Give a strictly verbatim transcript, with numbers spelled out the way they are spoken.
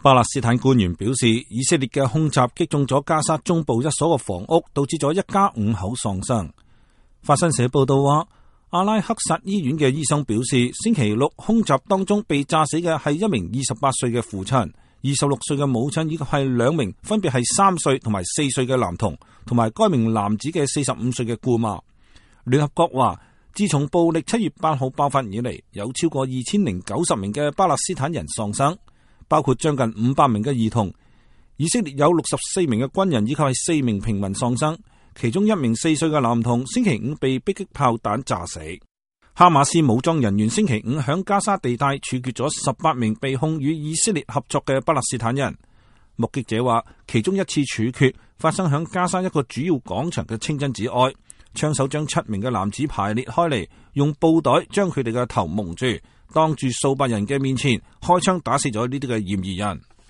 巴勒斯坦官員表示，以色列嘅空襲擊中咗加沙中部一所嘅房屋，導致咗一家五口喪生。法新社報道話，阿拉克薩醫院嘅醫生表示，星期六空襲當中被炸死嘅係一名二十八歲嘅父親、二十六歲嘅母親，以及係兩名分別係三歲同埋四歲嘅男童，同埋該名男子嘅四十五歲嘅姑媽。聯合國話，自從暴力七月八號爆發以嚟，有超過二千零九十名嘅巴勒斯坦人喪生，包括將近五百名嘅兒童。以色列有六十四名嘅軍人以及係四名平民喪生，其中一名四歲嘅男童星期五被迫擊炮彈炸死。哈馬斯武裝人員星期五響加沙地帶處決咗十八名被控與以色列合作嘅巴勒斯坦人。目擊者話，其中一次處決發生響加沙一個主要廣場嘅清真寺外，槍手將七名嘅男子排列開嚟，用布袋將佢哋嘅頭蒙住，當住數百人嘅面前開槍打死咗呢啲嘅嫌疑人。